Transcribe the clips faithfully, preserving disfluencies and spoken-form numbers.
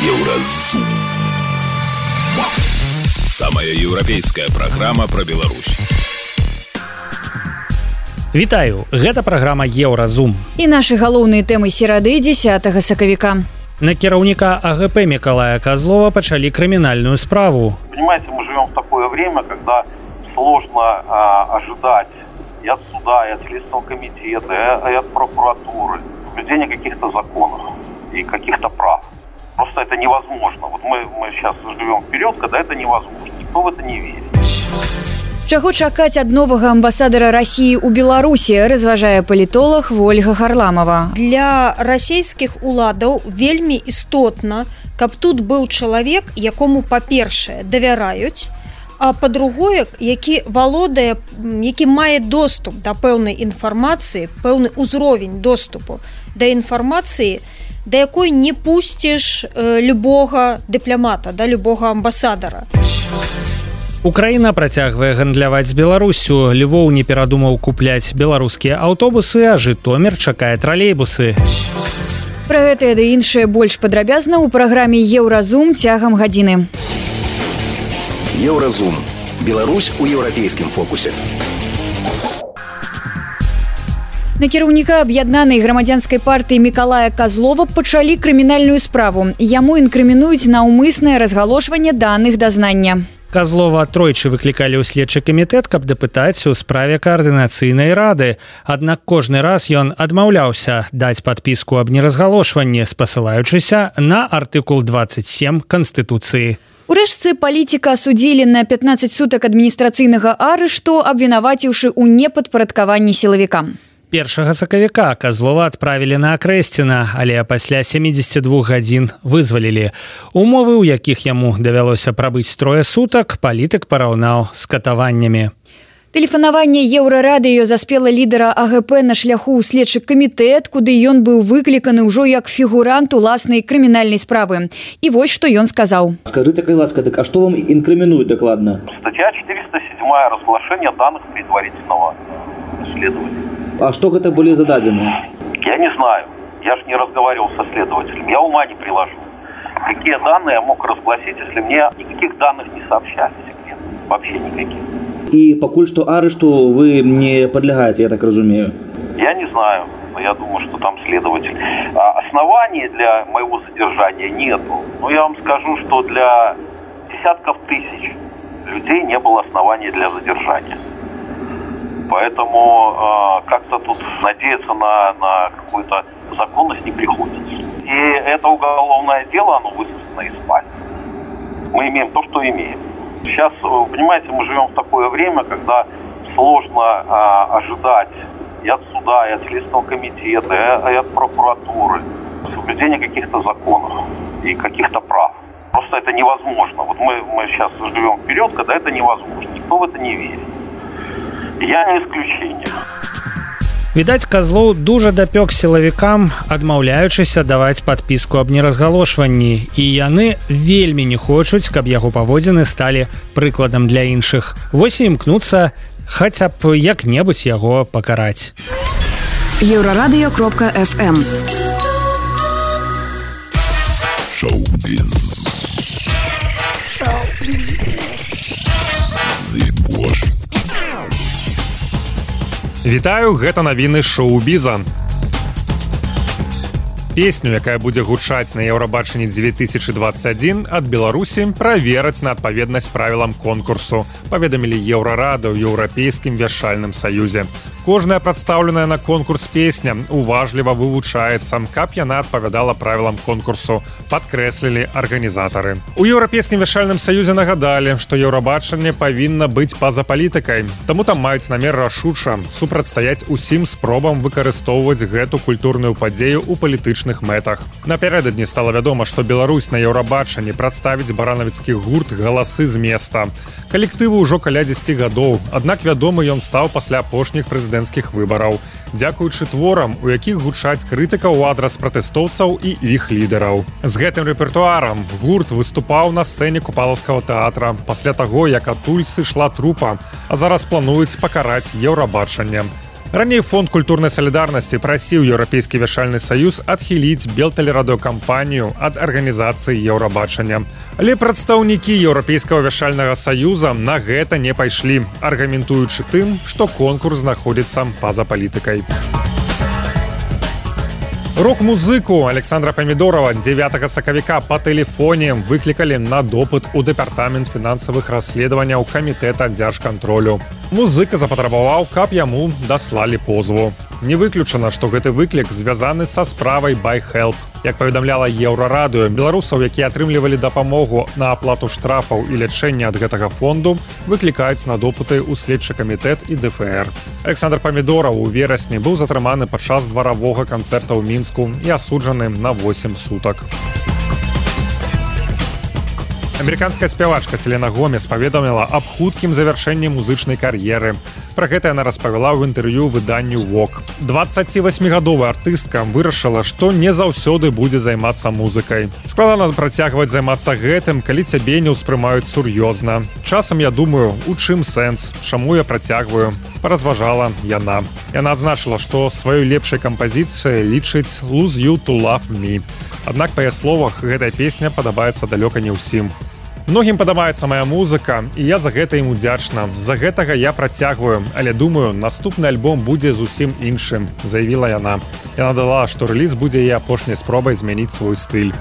Еўразум. Самая еўрапейская праграма пра Беларусь. Вітаю, гэта праграма Еўразум. І нашы галоўныя тэмы серады дзесятага сакавіка. На кіраўніка АГП Миколая Козлова пачалі крымінальную справу. Понимаете, мы живем в такое время, когда сложно а, ожидать и от суда, и от Следственного комитета, и от прокуратуры соблюдения каких-то законов и каких-то прав. Просто это невозможно. Вот мы, мы сейчас живем в период, когда это невозможно. Никто в это не верит. Чаго чакаць ад новага амбасадара России ў Беларусі, разважае палітолог Ольга Харламова. Для расійскіх уладаў вельмі істотна, каб тут быў чалавек, якому, па-першае, давяраюць, а па-другое, які валодае, які мае доступ да пэўнай інфармацыі, пэўны ўзровень доступу да інфармацыі, да якой не пусціш э, любога дыпламата, да любога амбасадара. Украіна працягвае гандляваць з Беларусю. Львоў не перадумаў купляць беларускія аўтобусы, а Жытомір чакае тралейбусы. Пра гэтае ды іншае больш падрабязна ў праграме Еўразум цягам гадзіны. Еўразум. Беларусь у еўрапейскім фокусе. На кіраўніка аб'яднанай грамадзянскай партыі Миколая Козлова пачалі крымінальную справу. Яму інкрымінуюць наўмыснае разгалошванне даных дазнання. Козлова тройчы выклікалі ў следчы камітэт, каб дапытаць у справе каардынацыйнай рады. Аднак кожны раз ён адмаўляўся даць падпіску аб неразгалошванні, спасылаючыся на артыкул двадцать семь Канстытуцыі. Урэшце палітыка асудзілі на пятнадцать сутак адміністрацыйнага арышту, абвінаваціўшы ў непадпарадкаванні сілавікам. Першага сакавіка Козлова адправілі на Акрэсціна, але пасля семидзесяти двух гадзін вызвалілі. Умовы, у якіх яму давялося прабыць трое сутак, палітык параўнаў з катаваннямі. Тэлефанаванне Еўрарадыё заспела лідара АГП на шляху ў следчы камітэт, куды ён быў выкліканы ўжо як фігурант уласнай крымінальнай справы. І вось што ён сказаў. Скажите, калі ласка, так а што вам інкрымінуюць дакладна? Статья четыреста семь разглашение данных предварительного следователя. А што гэта былі зададзены? Я не знаю. Я же не разговаривал со следователем. Я ума не приложу. Какие данные я мог разгласить, если мне никаких данных не сообщали? Вообще никаких. І пакуль што арышту вы не падлягаеце, я так разумею. Я не знаю. Но я думаю, что там следователь. А оснований для моего задержания нету. Но я вам скажу, что для десятков тысяч людей не было оснований для задержания. Поэтому э, как-то тут надеяться на, на какую-то законность не приходится. И это уголовное дело, оно высосано из пальца. Мы имеем то, что имеем. Сейчас, понимаете, мы живем в такое время, когда сложно э, ожидать и от суда, и от Следственного комитета, и от прокуратуры соблюдения каких-то законов и каких-то прав. Просто это невозможно. Вот мы, мы сейчас живем в период, когда это невозможно. Никто в это не верит. Я не исключение. Відаць, Козлоў дужа дапёк сілавікам, адмаўляючыся даваць падпіску аб неразгалошванні, і яны вельмі не хочуць, каб яго паводзіны сталі прыкладам для іншых. Вось і імкнуцца хаця б як-небудзь яго пакараць. Еўрарадыё кропка эф эм. Шоу-біз. Шоу-біз. Зыбош. Вітаю, гэта навіны шоу-біза. Песню, якая будзе гучаць на Еўрабачанні две тысячи двадцать один ад Беларусі, правераць на адпаведнасць правілам конкурсу, паведамілі Еўрарада ў Еўрапейскім вяшальным саюзе. Кожная прадстаўленая на конкурс песня уважліва вывучаецца, каб яна адпавядала правілам конкурсу, падкрэслілі арганізатары. У Еўрапейскім вяшальным саюзе нагадалі, што Еўрабачанне павінна быць па-за палітыкай, таму там маюць намер рашуча супрацьстаяць усім спробам выкарыстоўваць гэту культурную падзею ў палітычных мэтах. Напярэдадні стала вядома, што Беларусь на Еўрабачанні прадставіць баранавіцкі гурт «Галасы з места». Калектыву ўжо каля дзесяці гадоў, аднак вядомы ён стаў пасля апошніх прэзідэнцкіх выбараў, дзякуючы творам, у якіх гучаць крытыка ў адрас пратэстоўцаў і іх лідараў. З гэтым рэпертуарам гурт выступаў на сцэне Купалаўскага тэатра пасля таго, як адтуль сышла трупа, а зараз плануюць пакараць Еўрабачанне. Раней фонд культурнай салідарнасці прасіў Еўрапейскі вяшальны саюз адхіліць белтэлерадыёкампанію ад арганізацыі Еўрабачання. Але прадстаўнікі Еўрапейскага вяшальнага саюза на гэта не пайшлі, аргументуючы тым, што конкурс знаходзіцца па-за палітыкай. Рок-музыку Александра Памідорова дзевятага сакавіка па тэлефоне выклікалі на допыт у дэпартамент фінансавых расследаванняў камітэта дзяржкантролю. Музыка запатрабаваў, каб яму даслалі позву. Не выключана, што гэты выклік звязаны са справай BuyHelp. Як паведамляла Еўрарадыё, беларусаў, якія атрымлівалі дапамогу на аплату штрафаў і лячэння ад гэтага фонду, выклікаюць на допыты ў следчы камітэт і дэ эф эр. Александр Памідораў у верасні быў затрыманы падчас дваравога канцэрта ў Мінску і асуджаны на восем сутак. Амерыканская спявачка Селена Гомес паведаміла аб хуткім завяршэнні музычнай кар'еры. Пра гэта яна распавяла ў інтэрв'ю выданню Vogue. дваццацівасьмігадовая артыстка вырашыла, што не заўсёды будзе займацца музыкай. Складана працягваць займацца гэтым, калі цябе не ўспрымаюць сур'ёзна. Часам я думаю, у чым сэнс, чаму я працягваю, паразважала яна. Яна адзначыла, што сваёй лепшай кампазіцыяй лічыць «Lose You to Love Me». Аднак, па яе словах, гэтая песня падабаецца далёка не ўсім. Многім падабаецца моя музыка, і я за гэта ім удзячна. За гэтага я працягваю, але думаю, наступны альбом будзе зусім іншым, заявіла яна. Яна дала, што рэліз будзе яе апошняй спробай змяніць свой стыль.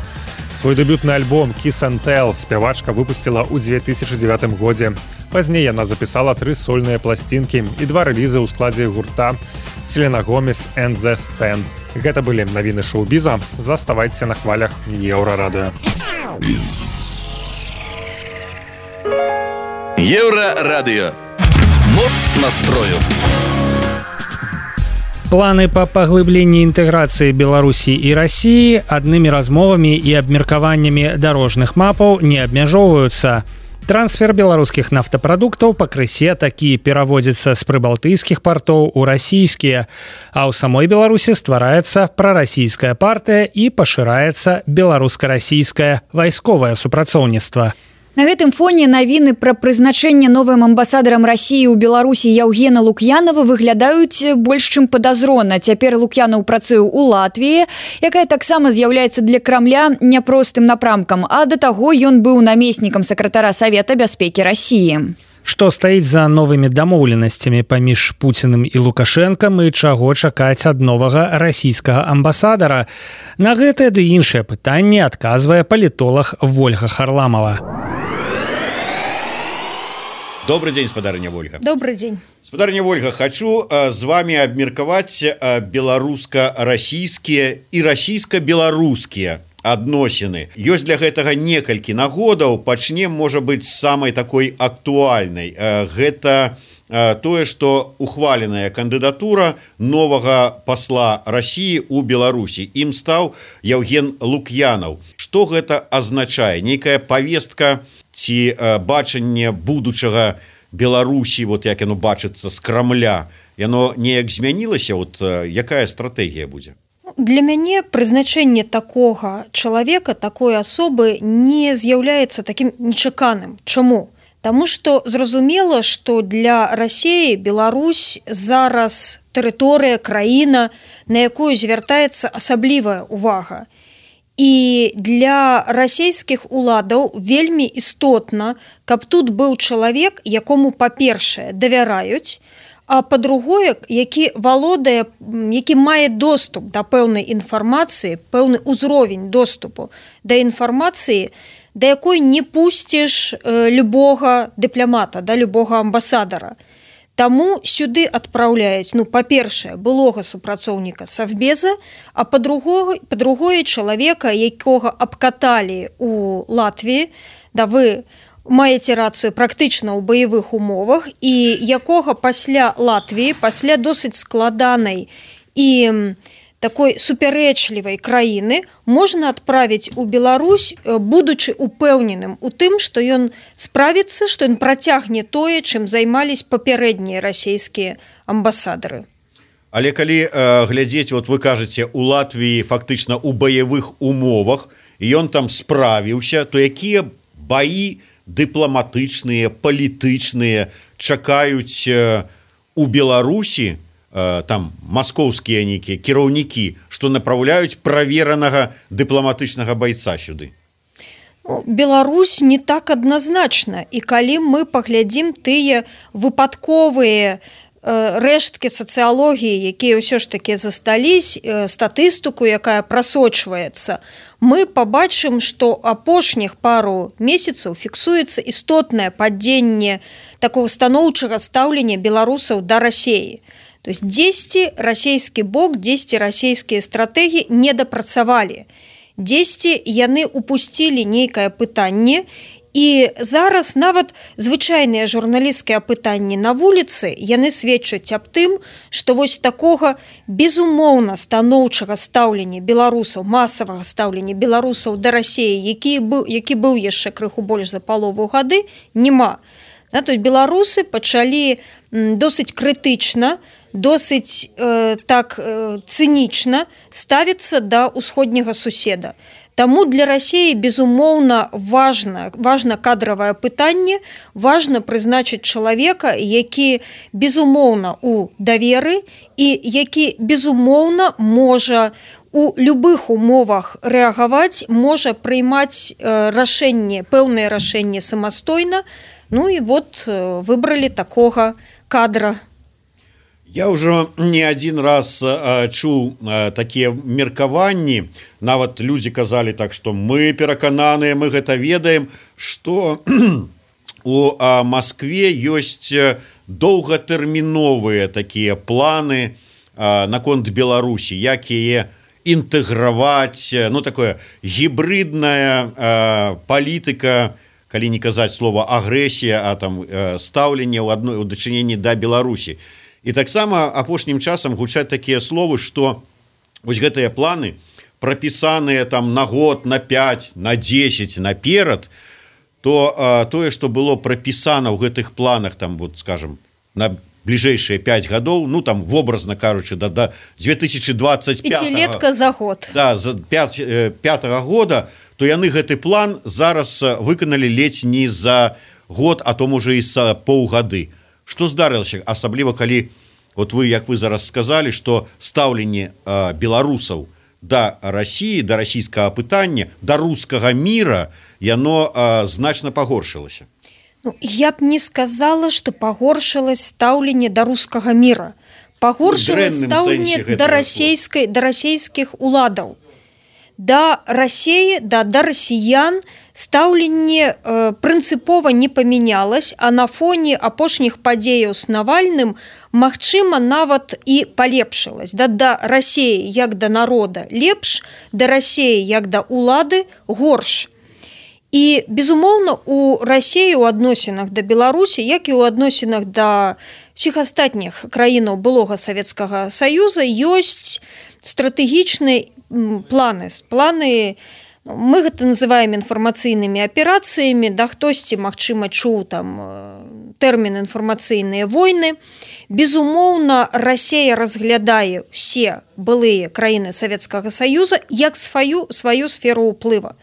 Свой дэбютны альбом «Kiss and Tell» спявачка выпусціла ў дзве тысячы дзевятым годзе. Пазней яна запісала тры сольныя пласцінкі і два рэлізы ў складзе гурта «Селена Гомес and the Scene». Гэта былі навіны шоу-біза. Заставайцеся на хвалях Еўрарадыё. Еўрарадыё. Моц настрою. Планы па паглыбленні інтэграцыі Беларусі і Расіі аднымі размовамі і абмеркаваннямі дарожных мапаў не абмяжоўваюцца. Трансфер беларускіх нафтапрадуктаў пакрысе такі пераводзіцца з прыбалтыйскіх партоў у расійскія, а ў самой Беларусі ствараецца прарасійская партыя і пашыраецца беларуска-расійскае вайсковае супрацоўніцтва. На гэтым фоне навіны пра прызначэнне новым амбасадарам Расіі ў Беларусі Яўгена Лук'янова выглядаюць больш чым падазрона. Цяпер Лук'янаў працуе ў Латвіі, якая таксама з'яўляецца для Крамля няпростым напрамкам, а да таго ён быў намеснікам сакратара Савета бяспекі Расіі. Што стаіць за новымі дамоўленасцямі паміж Пуціным і Лукашэнкам і чаго чакаць ад новага расійскага амбасадара? На гэтае ды іншыя пытанні адказвае палітолог Вольга Харламова. Добрый день, спадарыня Вольга. Добрый день. Спадарыня Вольга, хочу э, з вами абмеркаваць э, беларуска-расійскія і расійска-беларускія адносіны. Ёсць для гэтага некалькі нагодаў. Пачнем, можа быць, з самай такой актуальнай. Э, гэта э, тое, што ухваленая кандыдатура новага пасла Расіі ў Беларусі. Ім стаў Яўген Лук'янаў. Што гэта азначае? Нейкая павестка ці э, бачанне будучага Беларусі, вот як яно бачыцца з Крамля, яно неяк змянілася, вот э, якая стратэгія будзе? Для мяне прызначэнне такога чалавека, такой асобы не з'яўляецца такім нечаканым. Чаму? Таму што зразумела, што для Расіі Беларусь зараз тэрыторыя, краіна, на якую звяртаецца асаблівая ўвага. І для расійскіх уладаў вельмі істотна, каб тут быў чалавек, якому, па-першае, давяраюць, а па-другое, які валодае, які мае доступ да пэўнай інфармацыі, пэўны ўзровень доступу да інфармацыі, да якой не пусціш любога дыпламата, да любога амбасадара. Таму сюды адпраўляюць, ну, па-першае, былога супрацоўніка Савбеза, а па-другое, па-другое чалавека, якога абкаталі ў Латвіі, да вы маеце рацыю практычна ў баявых умовах, і якога пасля Латвіі, пасля досыць складанай і такой супярэчлівай краіны можна адправіць у Беларусь, будучы упэўненым у тым, што ён справіцца, што ён працягне тое, чым займались папярэднія расійскія амбасадары. Але калі э, глядзець, вот вы кажаце, у Латвіі фактычна ў баявых умовах, і ён там справіўся, то якія баі дыпламатычныя, палітычныя чакаюць э, у Беларусі там маскоўскія нейкія кіраўнікі, што напраўляюць праверанага дыпламатычнага байца сюды? Беларусь не так адназначна, і калі мы паглядзім тыя выпадковыя рэшткі сацыялогіі, якія ўсё ж такі застались, статыстыку, якая прасочваецца, мы пабачым, што апошніх пару месяцаў фіксуецца істотнае падзенне такого станоўчага стаўлення беларусаў да Расіі. То есть дзесьці расійскі бок, дзесьці расійскія стратэгіі не дапрацавалі. Дзесьці яны упусцілі нейкае пытанне, і зараз нават звычайныя журналісцкія пытанні на вуліцы, яны сведчаць аб тым, што вось такога безумоўна станоўчага стаўлення беларусаў, масавага стаўлення беларусаў да Расіі, які быў, які быў яшчэ крыху больш за палову гады, няма. То есть беларусы пачалі досыць крытычна, досыць э, так э, цынічна ставіцца да ўсходняга суседа. Таму для Расіі, безумоўна, важна, важна кадравае пытанне, важна прызначыць чалавека, які, безумоўна, у даверы і які, безумоўна, можа у любых умовах рэагаваць, можа прыймаць э, рашэнне, пэўнае рашэнне самастойна. Ну і вот э, выбралі такога кадра. Я ўжо не адзін раз а, чуў а, такія меркаванні, нават людзі казалі так, што мы перакананыя, мы гэта ведаем, што у а, Маскве ёсць доўгатэрміновыя такія планы а, наконт Беларусі, як яе інтэграваць, ну такое гібридная а, палітыка, калі не казаць слова агрэсія, а там а, стаўленне ў адной у дачыненні да Беларусі. І таксама апошнім часам гучаць такія словы, што вось гэтыя планы прапісаныя там на год, на пяць, на дзесяць наперад, то а, тое, што было прапісана ў гэтых планах там, вот, скажем, на бліжэйшыя пяць гадоў, ну там вобразна кажучы, да, да две тысячи двадцать пятого, пяцілетка за год. Да, за пятого года, то яны гэты план зараз выканалі ледзь не за год, а то можа і за паўгады. Што здарылася, асабліва калі вот вы, як вы зараз сказалі, што стаўленне э, беларусаў да Расіі, да расійскага пытання, да рускага міра, яно э, значна пагоршылася. Ну, я б не сказала, што пагоршылася стаўленне да рускага міра. Пагоршылася стаўленне да расійскай, да расійскіх уладаў. Да Расіі, да, да расіян стаўленне э, прынцыпова не памянялось, а на фоне апошніх падзеяў з Навальным, магчыма, нават і палепшылась. Да, да Расіі як да народа лепш, да Расіі як да улады горш. І, безумоўна, у Расіі ў адносінах да Беларусі, як і ў адносінах да ўсіх астатніх краінаў былога Савецкага Саюза, ёсць стратэгічныя планы. Планы, мы гэта называем інфармацыйнымі аперацыямі, да хтосьці, магчыма, чуў там тэрмін інфармацыйныя войны. Безумоўна, Расія разглядае ўсе былыя краіны Савецкага Саюза як сваю, сваю сферу ўплыва.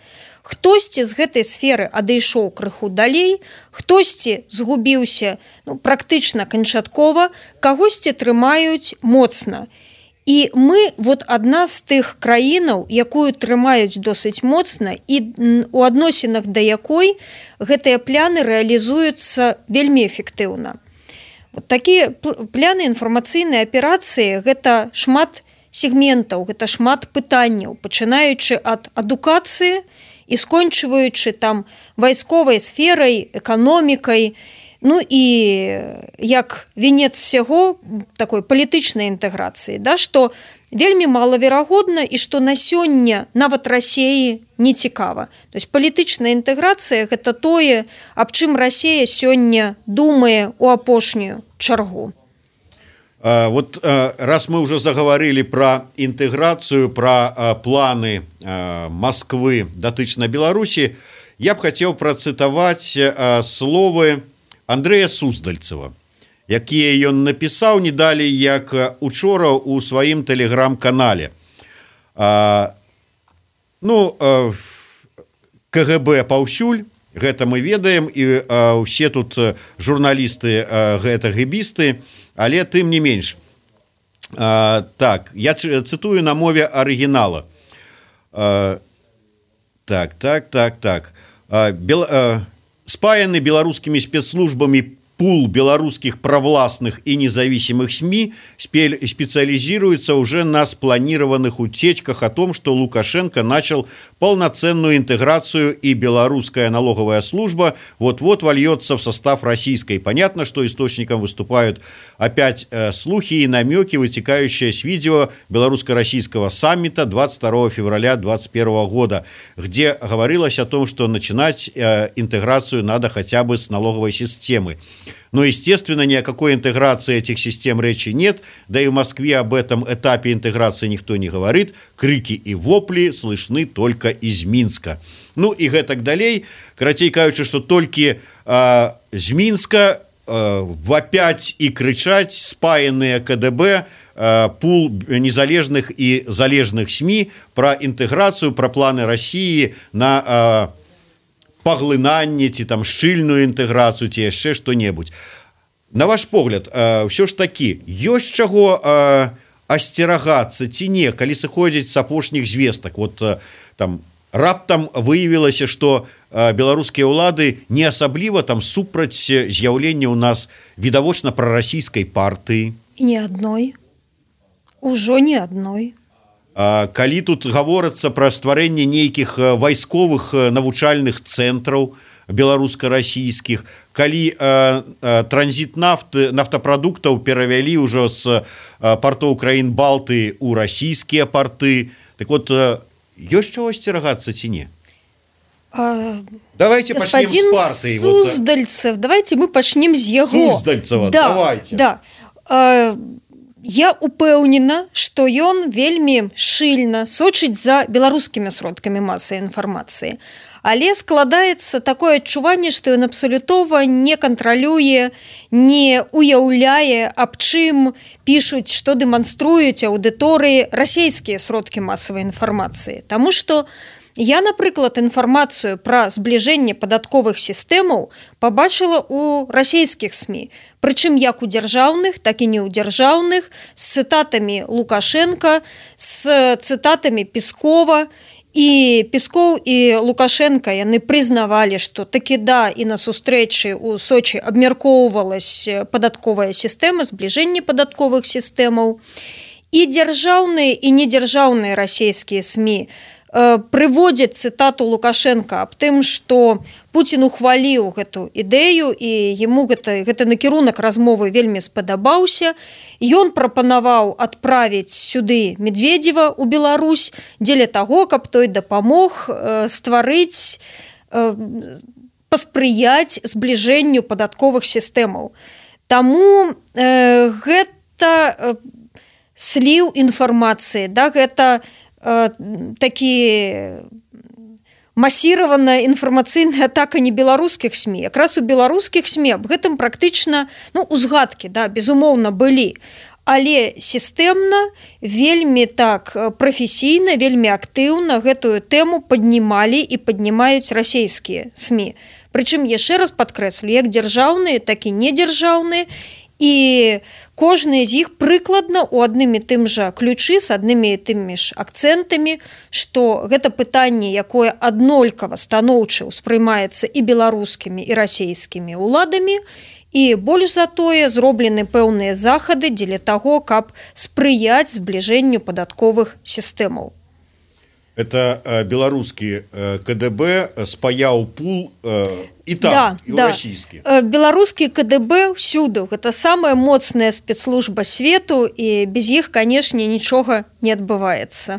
Хтосьці з гэтай сферы адышоў крыху далей, хтосьці згубіўся ну, практычна канчаткова, кагосьці трымаюць моцна. І мы, вот адна з тых краінаў, якую трымаюць досыць моцна і у адносінах да якой гэтыя пляны рэалізуюцца вельмі эфектыўна. Вот такія пляны інфармацыйнай аперацыі гэта шмат сегментаў, гэта шмат пытанняў, пачынаючы ад адукацыі і скончваючы там вайсковай сферай, эканомікай, ну і як венец всяго такой палітычнай інтэграцыі, да, што вельмі малаверагодна і што на сёння нават Расіі не цікава. То есть палітычная інтэграцыя гэта тое, аб чым Расія сёння думае ў апошнюю чаргу. А, вот а, раз мы уже заговорили про интеграцию, про а, планы а, Москвы датычна Беларуси, я б хотел процитовать а, словы Андрэя Суздальцева, якія ён напісаў не далей як учора у сваім тэлеграм-канале. А, ну, а, КГБ паўсюль, гэта мы ведаем, і а, усе тут журналісты а, гэта гэбісты, але тым не менш. А, так, я цитую на мове арыгінала. А, так, так, так, так. А, бел, а, спаяны беларускімі спецслужбамі пул белорусских провластных и независимых СМИ специализируется уже на спланированных утечках о том, что Лукашенко начал полноценную интеграцию, и белорусская налоговая служба вот-вот вольется в состав российской. Понятно, что источником выступают опять э, слухи и намеки, вытекающие с видео белорусско-российского саммита двадцать второго февраля две тысячи двадцать первого года, где говорилось о том, что начинать э, интеграцию надо хотя бы с налоговой системы. Но, естественно, ни о какой интеграции этих систем речи нет, да и в Москве об этом этапе интеграции никто не говорит. Крики и вопли слышны только из Минска. Ну и гэтак далей. Карацей кажучы, что только э, из Минска э, вопять и кричать спаянные КДБ, э, пул незалежных и залежных СМИ про интеграцию, про планы России на... Э, паглынанне ці там шчыльную інтэграцыю ці яшчэ што-небудзь. На ваш погляд, ўсё ж такі ёсць чаго асцерагацца ці не, калі сыходзіць з апошніх звестак? Вот там раптам выявілася, што беларускія ўлады не асабліва там супраць з'яўлення ў нас відавочна прарасійскай партыі. Ні адной. Ужо ні адной. Калі тут гаворыцца пра стварэнне нейкіх вайсковых навучальных цэнтраў беларуска-расійскіх, калі э, э, транзіт нафты, нафтапрадуктаў перавялі ўжо з партоў краін Балты ў расійскія парты, так вот, э, ёсць чаго асцерагацца ці не? А, давайте пачнем з партыі. Суздальцев, вот. Давайте мы пачнем з яго. Суздальцева, да, давайте. Да. А, я упэўнена, што ён вельмі шчыльна сочыць за беларускімі сродкамі масавай інфармацыі. Але складаецца такое адчуванне, што ён абсалютова не кантралюе, не уяўляе, аб чым пішуць, што дэманструюць аўдыторыі расійскія сродкі масавай інфармацыі. Таму што я, напрыклад, інфармацыю пра збліжэнне падатковых сістэмаў пабачыла ў расійскіх СМІ. Прычым як у дзяржаўных, так і не ў дзяржаўных, з цытатамі Лукашенка, з цытатамі Пескова. І Песков і Лукашенко яны прызнавалі, што такі да, і на сустрэчы ў Сочі абмяркоўвалась падатковая сістэма, збліжэнне падатковых сістэмаў. І дзяржаўныя і недзяржаўныя расійскія СМІ прыводзяць цытату Лукашенко аб тым, што Пуцін ухваліў гэту ідэю і яму гэта, гэта накірунак размовы вельмі спадабаўся. Ён прапанаваў адправіць сюды Медведева ў Беларусь дзеля таго, каб той дапамог э, стварыць, э, паспрыяць збліжэнню падатковых сістэмаў. Таму э, гэта э, сліў інфармацыі, да, гэта такі масіраваная інфармацыйная атака не беларускіх СМІ. Якраз у беларускіх СМІ аб гэтым практычна, ну, узгадкі, да, безумоўна, былі. Але сістэмна, вельмі так прафесійна, вельмі актыўна гэтую тэму паднімалі і паднімаюць расійскія СМІ. Прычым, яшчэ раз падкрэслю, як дзяржаўныя, так і недзяржаўныя, і кожны з іх прыкладна ў адным і тым жа ключы з аднымі і тымі ж акцэнтамі, што гэта пытанне, якое аднолькава станоўча ўспрымаецца і беларускімі, і расійскімі ўладамі, і больш за тое зроблены пэўныя захады дзеля таго, каб спрыяць збліжэнню падатковых сістэмаў. Это э, беларускі э, КДБ спаяў пул э, і там, да, і да. расійскі. Беларускі КДБ ўсюды. Гэта самая моцная спецслужба свету, і без іх, канешне, нічога не адбываецца.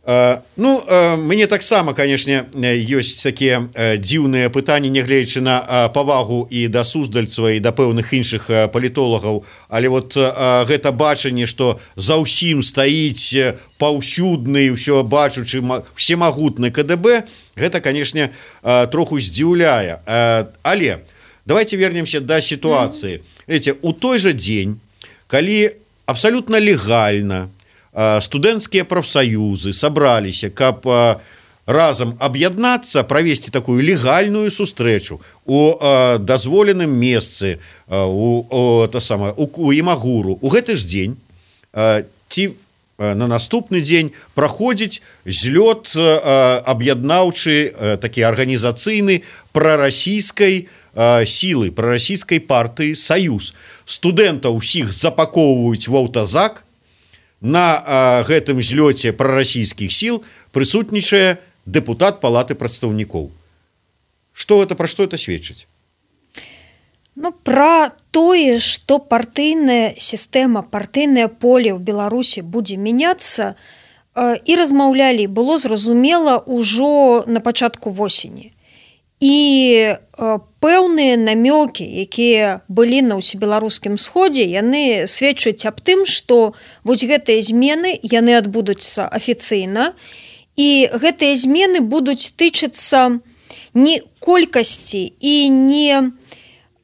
Uh, ну, uh, мне таксама, канешне, ёсць такія uh, дзіўныя пытанні, нягледзячы на uh, павагу і да Суздальцева, і да пэўных іншых uh, палітолагаў, але вот uh, гэта бачанне, што за ўсім стаіць паўсюдны, ўсё бачучы, всемагутны КДБ, гэта, канешне, uh, троху здзіўляе. Uh, але давайте вернемся да сітуацыі. Видите, у той жа дзень, калі абсалютна легальна студэнцкія прафсаюзы сабраліся, каб разам аб'яднацца, правесці такую легальную сустрэчу у дазволеным месцы у, у, у Імагуру. У гэты ж дзень ці на наступны дзень праходзіць злёт аб'яднаўчы такі арганізацыйны прарасійскай сілы, прарасійскай партыі «Саюз». Студэнтаў усіх запакоўваюць в аўтазак. На гэтым злёце прарасійскіх сіл прысутнічае дэпутат палаты прадстаўнікоў. Што гэта, пра што это сведчыць? Ну, пра тое, што партыйная сістэма, партыйнае поле ў Беларусі будзе мяняцца, і размаўлялі, было зразумела ўжо на пачатку восені. І пэўныя намёкі, якія былі на ўсебеларускім сходзе, яны сведчаць аб тым, што вось гэтыя змены, яны адбудуцца афіцыйна, і гэтыя змены будуць тычыцца не колькасці і не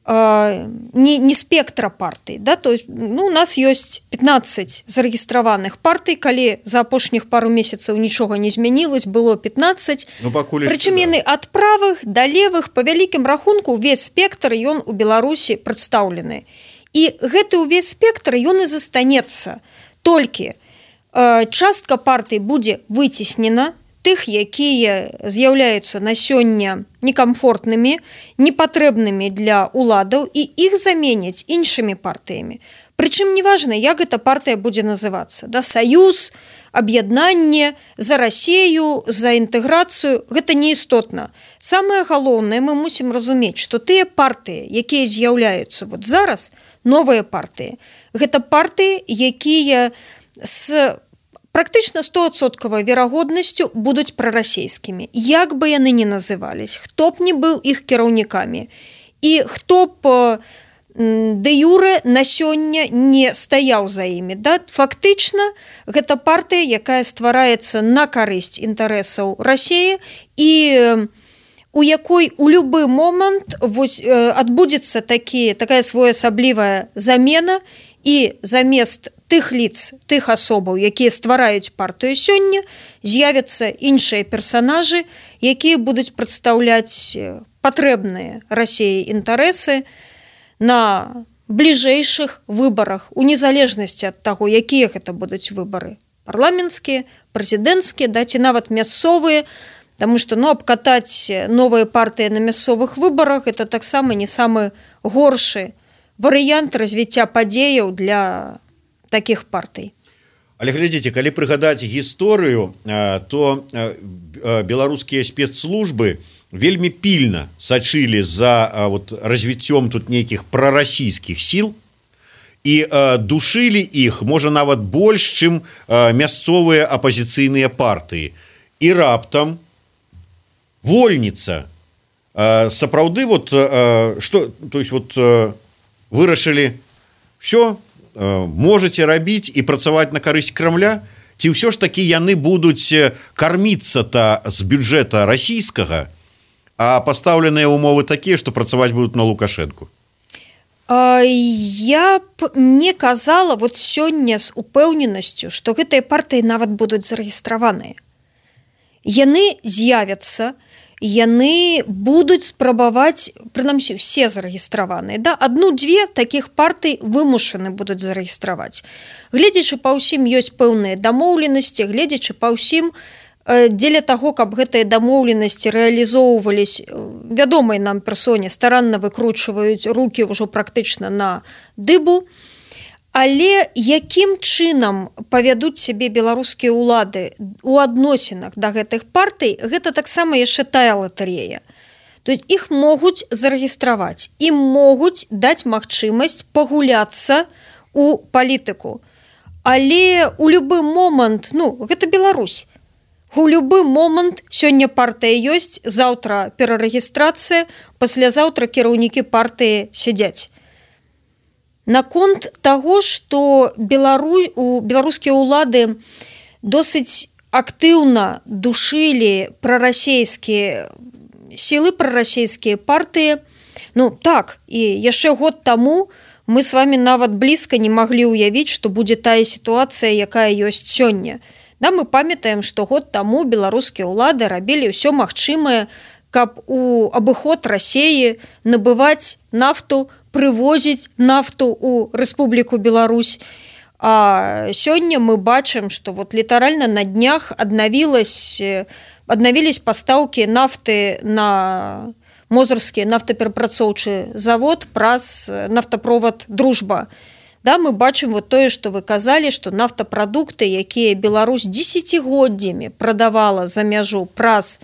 Не, не спектра партый, да? То есть, ну, у нас ёсць пятнаццаць зарэгістраваных партый, калі за апошніх пару месяцаў нічога не змянілось, было пятнаццаць. Ну, прычым яны ад правых да левых, па вялікім рахунку ўвесь спектр ён у Беларусі прадстаўлены. І гэты ўвесь спектр ён і застанецца. Толькі э, частка партый будзе выцеснена, тых, якія з'яўляюцца на сёння некамфортнымі, непатрэбнымі для ўладаў, і іх заменяць іншымі партыямі. Прычым неважна, як эта партыя будзе называцца. Да? Саюз, аб'яднанне, за Расею, за інтэграцыю, гэта неістотна. Самае галоўнае, мы мусім разумець, што тыя партыі, якія з'яўляюцца вот зараз, новыя партыі, гэта партыі, якія з практычна сто адсоткаў верагоднасцю будуць прарасейскімі. Як бы яны ні назывались, хто б не быў іх кіраўнікамі і хто б дэ юрэ на сёння не стаяў за імі. Да? Фактычна, гэта партыя, якая ствараецца на карысць інтарэсаў Расіі і у якой у любы момант вось, адбудзецца такі, такая своеасаблівая замена, і замест тых лиц, тых асобаў, якія ствараюць партыю сёння, з'явяцца іншыя персанажы, якія будуць прадстаўляць патрэбныя Расіі інтарэсы на бліжэйшых выбарах, у незалежнасці ад таго, якія гэта будуць выбары. Парламенцкія, прэзідэнцкія, да, ці нават мясцовыя, таму што ну, абкатаць новыя партыі на мясцовых выбарах – это таксама не самы горшы варыянт развіцця падзеяў для таких партый. Але глядзіце, калі прыгадаць гісторыю, то беларускія спецслужбы вельмі пільна сачылі за вот, развіццём тут нейкіх прарасійскіх сіл і душылі іх, можа нават больш, чым мясцовыя апазіцыйныя партыі. І раптам вольніца. Сапраўды вот, што, то есть вот вырашылі все, можете рабіць і працаваць на карысць Крамля, ці ўсё ж такі яны будуць карміцца-то з бюджэта расійскага, а пастаўленыя умовы такія, што працаваць будуць на Лукашэнку? Я б не казала вот сёння з упэўненасцю, што гэтыя партыі нават будуць зарэгістраваныя. Яны з'явяцца, яны будуць спрабаваць, прынамсі, усе зарэгістраваныя. Да? Адну-дзве такіх партый вымушаны будуць зарэгістраваць. Гледзячы па ўсім ёсць пэўныя дамоўленасці, гледзячы па ўсім, дзеля таго, каб гэтыя дамоўленасці рэалізоўвались, вядомай нам персоне старанна выкручваюць рукі ўжо практычна на дыбу. Але якім чынам павядуць сябе беларускія ўлады у адносінах да гэтых партый, гэта таксама яшчэ тая латарэя. То есть іх могуць зарэгістраваць, ім могуць даць магчымасць пагуляцца у палітыку. Але у любы момант, ну, гэта Беларусь, у любы момант сёння партыя ёсць, заўтра перарэгістрацыя, паслязаўтра кіраўнікі партыі сядзяць. Наконт таго, што Белару... беларускія ўлады досыць актыўна душылі прарасейскія сілы, прарасейскія партыі, ну так, і яшчэ год таму мы з вами нават блізка не маглі ўявіць, што будзе тая сітуацыя, якая ёсць сёння. Да, мы памятаем, што год таму беларускія ўлады рабілі ўсё магчымае, каб у абыход Расіі набываць нафту, прывозіць нафту ў Рэспубліку Беларусь. А сёння мы бачым, што вот літаральна на днях аднавілась аднавілись пастаўкі нафты на мозырскі нафтаперапрацоўчы завод праз нафтаправод «Дружба». Да, мы бачым вот тое, што вы казалі, што нафтапрадукты, якія Беларусь дзесяцігоддзямі прадавала за мяжу праз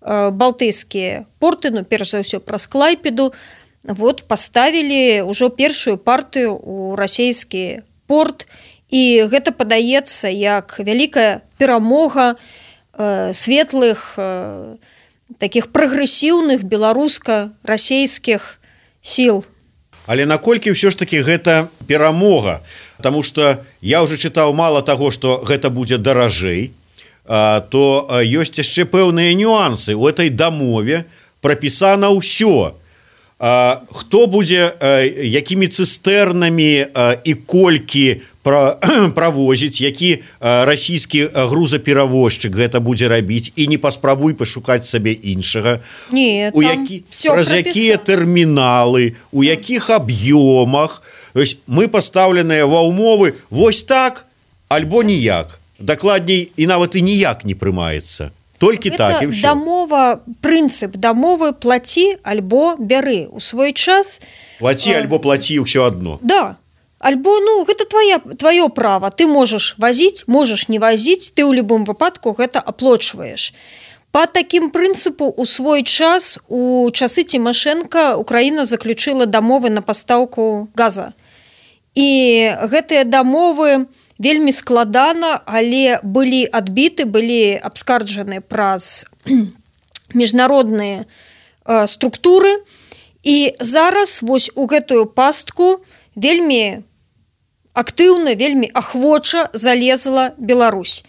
э, балтыйскія порты, ну перш за ўсё праз Клайпеду, вот паставілі ўжо першую партыю ў расійскі порт, і гэта падаецца як вялікая перамога э, светлых э, таких прагрэсіўных беларуска-расійскіх сіл. Але наколькі ўсё ж таки гэта перамога, потому что я уже чытаў мало таго, што гэта будзе даражэй, то ёсць яшчэ пэўныя нюансы. У этой дамове прапісана ўсё. Хто будзе якімі цыстэрнамі і колькі правозіць, які расійскі грузаперавозчык гэта будзе рабіць, і не паспрабуй пашукаць сабе іншага. Не, у які, праз якія тэрміналы, у якіх аб'ёмах. Мы пастаўленыя ва ўмовы вось так альбо ніяк. Дакладней, і нават і ніяк не прымаецца. Толькі так і ўсё. Дамова, прынцып дамовы плаці альбо бяры. У свой час... Плаці альбо плаці ўсё адно. Да. Альбо, ну, гэта твоя, твоё права. Ты можаш вазіць, можаш не вазіць, ты ў любым выпадку гэта аплочваеш. Па такім прынцыпу у свой час, у часы Цімашэнка, Украіна заключыла дамовы на пастаўку газа. І гэтыя дамовы вельмі складана, але былі адбіты, былі абскарджаны праз міжнародныя э, структуры. І зараз вось у гэтую пастку вельмі актыўна, вельмі ахвоча залезла Беларусь.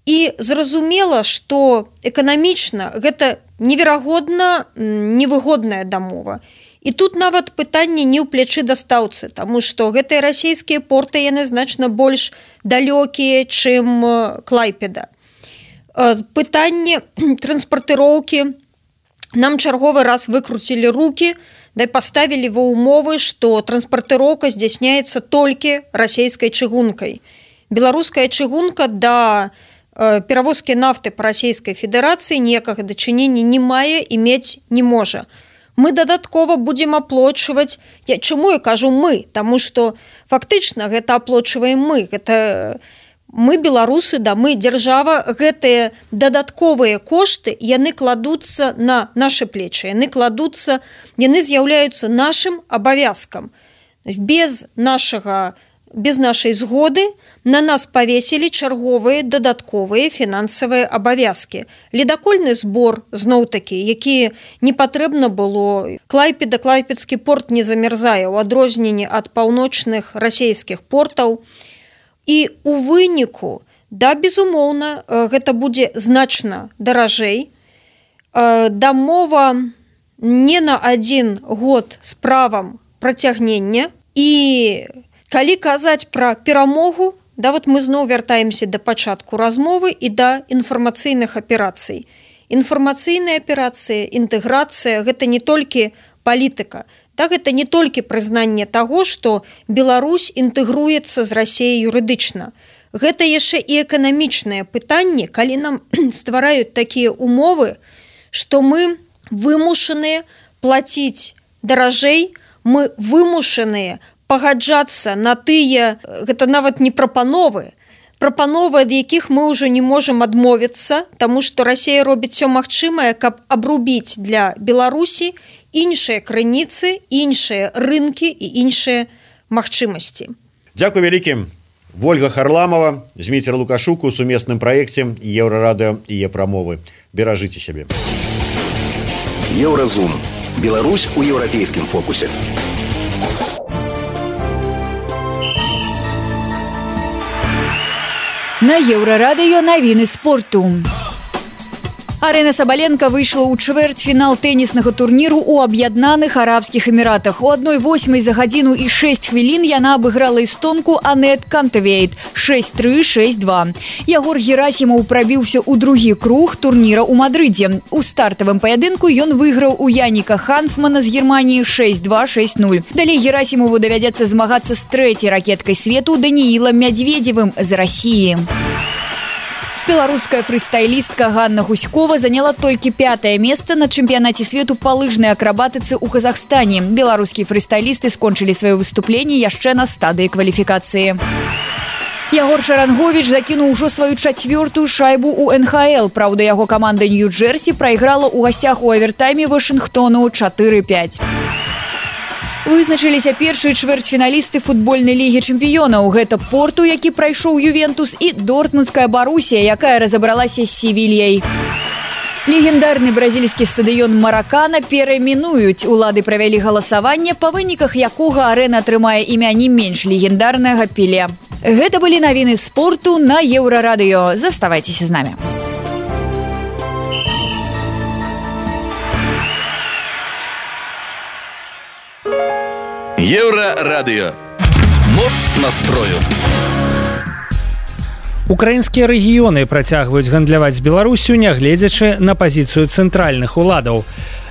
І зразумела, што эканамічна гэта неверагодна невыгодная дамова. І тут нават пытанне не ў плячы дастаўцы, таму што гэтыя расійскія порты яны значна больш далёкія, чым Клайпеда. Пытанне транспартыроўкі нам чарговы раз выкруцілі рукі, да паставілі ва ўмовы, што транспартыроўка здзяйсняецца толькі расійскай чыгункай. Беларуская чыгунка да э, перавозкі нафты па Расійскай Федэрацыі ніякага дачынення не мае і мець не можа. Мы дадаткова будзем аплочваць, я чаму я кажу мы, таму што фактычна гэта аплочваем мы, гэта мы беларусы, да мы дзяржава, гэтыя дадатковыя кошты, яны кладуцца на нашы плечы, яны кладуцца, яны з'яўляюцца нашым абавязкам. Без нашага, без нашай згоды на нас павесілі чарговыя дадатковыя фінансавыя абавязкі. Ледакольны збор, зноў-такі, які не патрэбна было. Клайпеда, Клайпедскі порт не замярзае ў адрозненні ад паўночных расійскіх портаў. І у выніку, да, безумоўна, гэта будзе значна даражэй. Дамова не на адзін год з правам працягнення. І калі казаць пра перамогу, да, вот мы зноў вяртаемся да пачатку размовы і да інфармацыйных аперацый. Інфармацыйная аперацыя, інтэграцыя – гэта не толькі палітыка. Так, это не толькі прызнанне таго, што Беларусь інтэгруецца з Расіяй юрыдычна. Гэта яшчэ і эканамічнае пытанне, калі нам ствараюць такія умовы, што мы вымушаныя плаціць даражэй, мы вымушаныя пагаджацца на тыя, гэта нават не прапановы, прапановы, ад якіх мы ўжо не можам адмовіцца, таму што Расія робіць усё магчымае, каб абрубіць для Беларусі іншыя крыніцы, іншыя рынкі і іншыя магчымасці. Дзякуй вялікім. Вольга Харламова, Зміцер Лукашук у сумесным праекце Еўрарадыё і Е-прамовы. Беражыце сябе. Еўразум. Беларусь у еўрапейскім фокусе. На Еўрарадыё навіны спорту. Арена Сабаленко выйшла ў чвэрцьфінал тэніснага турніру ў Аб'яднаных Арабскіх Эміратах. У адной восьмай за гадзіну і шэсць хвілін яна абыграла эстонку Анет Кантавейт шэсць тры шэсць два. Ягор Герасімаў прабіўся ў другі круг турніра ў Мадрыдзе. У стартавым паядынку ён выйграў у Яніка Ханфмана з Германіі шэсць два шэсць нуль. Далей Герасімову давядзецца змагацца з трэцяй ракеткай свету Даніілам Мядзведзевым з Расіі. Беларуская фрыстайлістка Ганна Гуськова заняла толькі пятае месца на чэмпіянаце свету па лыжнай акрабатыцы ў Казахстане. Беларускія фрыстайлісты скончылі сваё выступленне яшчэ на стадыі кваліфікацыі. Ягор Шаранговіч закінуў ужо сваю чацвёртую шайбу ў эн ха эл. Праўда, яго каманда Нью-Джерсі прайграла ў гасцях у авертайме Вашынгтону чатыры пяць. Вызначыліся першыя чвэрцьфіналісты футбольнай лігі чэмпіёнаў. Гэта Порту, які прайшоў Ювентус, і Дортмундская Барусія, якая разабралася з Севільяй. Легендарны бразільскі стадыён Маракана перайменуюць. Улады правялі галасаванне, па выніках якога арэна атрымае імя не менш легендарнага Пеле. Гэта былі навіны спорту на Еўрарадыё. Заставайцеся з намі. Еўрарадыё. Моц настрою. Украінскія рэгіёны працягваюць гандляваць з Беларусю, нягледзячы на пазіцыю цэнтральных уладаў.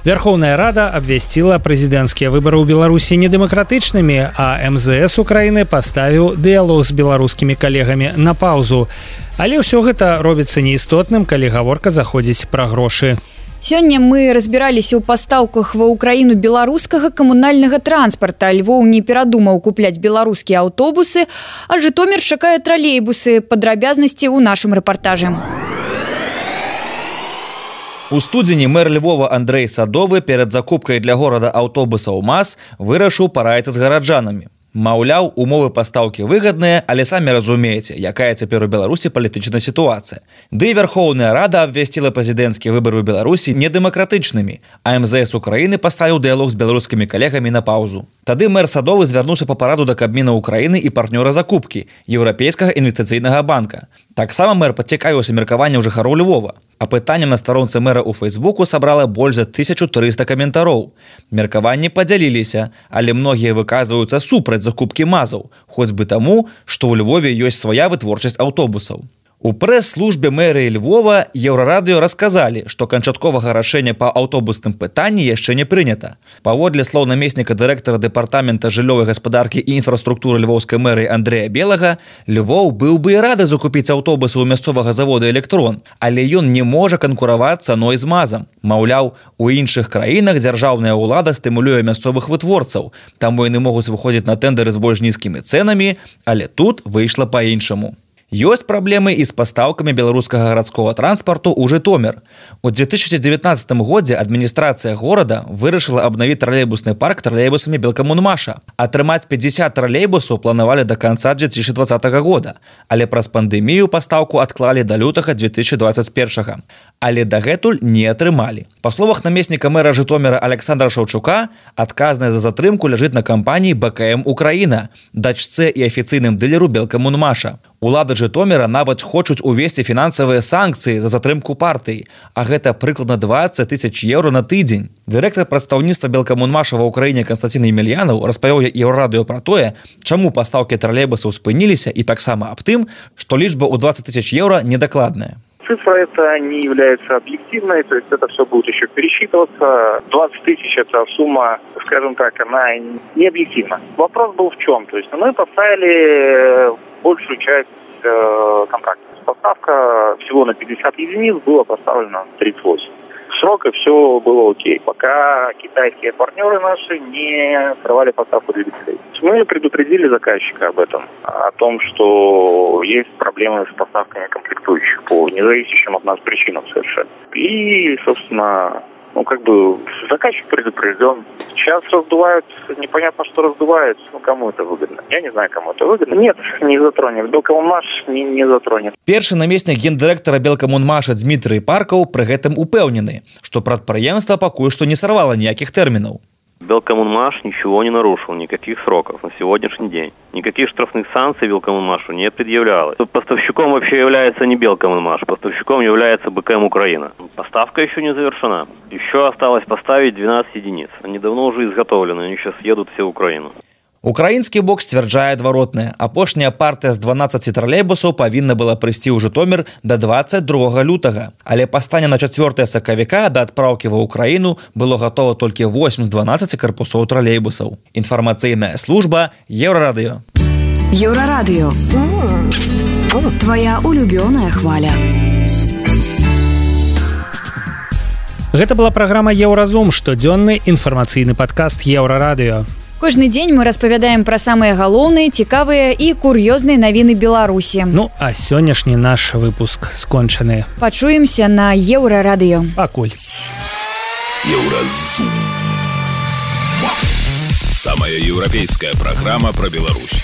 Вярхоўная Рада абвясціла прэзідэнцкія выбары ў Беларусі недэмакратычнымі, а эм зэ эс Украіны паставіў дыялог з беларускімі калегамі на паўзу. Але ўсё гэта робіцца неістотным, калі гаворка заходзіць пра грошы. Сёння мы разбіраліся ў пастаўках ва ўкраіну беларускага камунальнага транспарта. Львоў не перадумаў купляць беларускія аўтобусы, а Жытомір чакае тралейбусы. Падрабязнасці ў нашым рэпартажы. У студзені мэр Львова Андрэй Садовы перад закупкай для горада аўтобусаў МАЗ вырашыў параіцца з гараджанамі. Маўляў, умовы пастаўкі выгадныя, але самі разумееце, якая цяпер у Беларусі палітычная сітуацыя. Ды і Вярхоўная Рада абвясціла прэзідэнцкія выбары ў Беларусі недэмакратычнымі, а эм зэ эс Украіны паставіў дыялог з беларускімі калегамі на паўзу. Тады мэр Садовы звярнуўся па параду да Кабміна Украіны і партнёра закупкі Еўрапейскага інвестыцыйнага банка. Таксама мэр пацікавіўся меркаваннем жыхароў Львова. А пытаннем на старонцы мэра ў Фейсбуку сабрала больш за тысячу трыста каментароў. Меркаванні падзяліліся, але многія выказваюцца супраць закупкі мазаў, хоць бы таму, што ў Львове ёсць свая вытворчасць аўтобусаў. У прэс-службе мэрыі Львова Еўрарадыё расказалі, што канчатковага рашэння па аўтобусным пытанні яшчэ не прынята. Паводле слоў намесніка дырэктара дэпартамента жыллёвай гаспадаркі і інфраструктуры львоўскай мэрыі Андрэя Белага, Львоў быў бы і рады закупіць аўтобусы ў мясцовага завода «Электрон», але ён не можа канкураваць цаной з мазам. Маўляў, у іншых краінах дзяржаўная ўлада стымулюе мясцовых вытворцаў, таму яны могуць выходзіць на тэндары з больш нізкімі цэнамі, але тут выйшла па-іншаму. Ёсць праблемы і з пастаўкамі беларускага гарадскога транспарту ў Жытомір. У две тысячи девятнадцатым годзе адміністрацыя горада вырашыла абнавіць тралейбусны парк тралейбусамі Белкамунмаша. Атрымаць пятьдесят тралейбусаў планавалі да канца две тысячи двадцатага года, але праз пандэмію пастаўку адклалі да лютага две тысячи двадцать первага. Але дагэтуль не атрымалі. Па словах намесніка мэра Жытоміра Александра Шаўчука, адказная за затрымку ляжыць на кампаніі бэ ка эм Украіна, дачцэ і афіцыйным дылеру Белкамунмаша. Улады Жытоміра нават хочуць увесці фінансавыя санкцыі за затрымку партыі, а гэта прыкладна двадцать тысяч еўра на тыдзень. Дырэктар прадстаўніцтва Белкамунмаша ва ўкраіне Канстантин Емельянаў распавёў Еўрарадыё пра тое, чаму пастаўкі тралейбусаў спыніліся, і таксама аб тым, што лічба ў двадцать тысяч еўра недакладная. Цифра эта не является объективной, то есть это все будет еще пересчитываться. двадцать тысяч это сумма, скажем так, она не объективна. Вопрос был в чем? То есть мы поставили большую часть э, контракта. Поставка всего на пятьдесят единиц была поставлена тридцать восемь. Срок и все было окей, пока китайские партнеры наши не срывали поставку двигателей. Мы предупредили заказчика об этом, о том, что есть проблемы с поставками комплектующих по независящим от нас причинам совершенно. И, собственно, ну как бы заказчик предупрежден. Сейчас раздувают, непонятно, что раздувают, ну кому это выгодно. Я не знаю, кому это выгодно. Нет, не затронет. Белкамунмаш не, не затронет. Першы намеснік гендырэктара Белкамунмаша Дмітрый Паркаў пры гэтым упэўнены, што прадпрыемства пакуль што не сарвала ніякіх тэрмінаў. Белкоммунмаш ничего не нарушил, никаких сроков на сегодняшний день. Никаких штрафных санкций Белкоммунмашу не предъявлялось. Поставщиком вообще является не Белкоммунмаш, поставщиком является БКМ Украина. Поставка еще не завершена. Еще осталось поставить двенадцать единиц. Они давно уже изготовлены, они сейчас едут все в Украину. Украінскі бок сцвярджае адваротнае. Апошняя партыя з дванаццаці тралейбусаў павінна была прыйсці ў Жытомір да дваццаць другога лютага. Але па стане на чацвёртае сакавіка да адпраўкі ва ўкраіну было гатова толькі восем з дванаццаці карпусоў тралейбусаў. Інфармацыйная служба Еўрарадыё. Еўрарадыё. Твая улюбёная хваля. Гэта была праграма Еўразум, штодзённы інфармацыйны падкаст Еўрарадыё. Кожны дзень мы распавядаем пра самыя галоўныя, цікавыя і кур'ёзныя навіны Беларусі. Ну, а сённяшні наш выпуск скончаны. Пачуемся на Еўрарадыё. Пакуль. Еўразум. Самая еўрапейская праграма пра Беларусь.